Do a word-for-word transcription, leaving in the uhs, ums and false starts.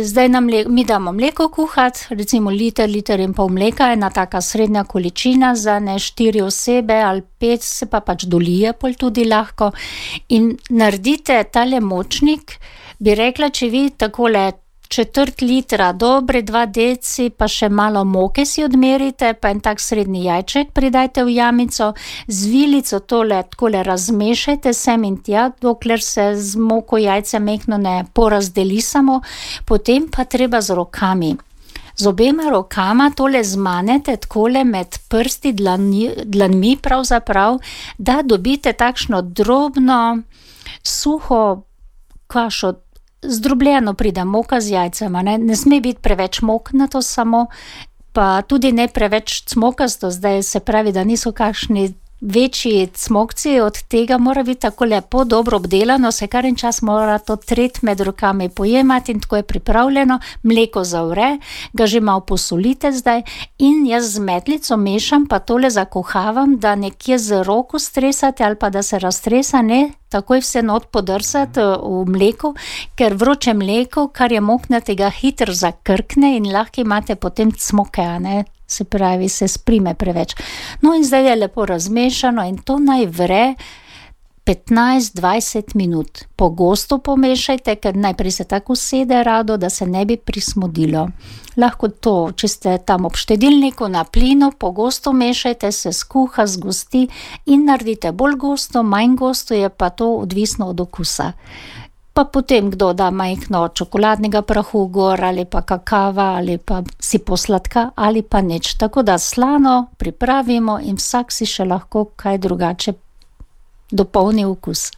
Zdaj na mle, mi damo mleko kuhati, recimo liter, liter in pol mleka, ena taka srednja količina za ne štiri osebe ali pet, se pa pač dolije pol tudi lahko. In naredite tale močnik, bi rekla, če vi takole četrt litra, dobre dva deci, pa še malo moke si odmerite, pa en tak srednji jajček pridajte v jamico, z vilico tole takole razmešajte sem in tja, dokler se z moko jajce mehno ne porazdeli samo, potem pa treba z rokami. Z obema rokama tole zmanete takole med prsti dlani, dlanmi pravzaprav, da dobite takšno drobno, suho kašo, zdrobljeno pride moka z jajcema, ne, ne sme biti preveč moknato samo, pa tudi ne preveč cmokasto, zdaj se pravi, da niso kakšni večji cmokci, od tega mora biti tako lepo dobro obdelano, se kar en čas mora to tret med rokami pojemati in tako je pripravljeno, mleko zavre, ga že malo posolite zdaj in jaz z metlico mešam, pa tole zakuhavam, da nekje z roko stresate ali pa da se raztresa, ne, takoj vse not podrsati v mleku, ker vroče mleko, kar je moknatega, hitro zakrkne in lahko imate potem cmoke, a ne, se pravi, se sprime preveč. No in zdaj je lepo razmešano in to naj vre petnajst dvajset minut. Pogosto pomešajte, ker najprej se tako usede rado, da se ne bi prismodilo. Lahko to, če ste tam ob štedilniku na plinu, pogosto mešajte, se skuha, zgosti in naredite bolj gosto, manj gosto, je pa to odvisno od okusa. Pa potem kdo da majhno čokoladnega prahu gor, ali pa kakava, ali pa si posladka, ali pa nič. Tako da slano pripravimo in vsak si še lahko kaj drugače dopolni okus.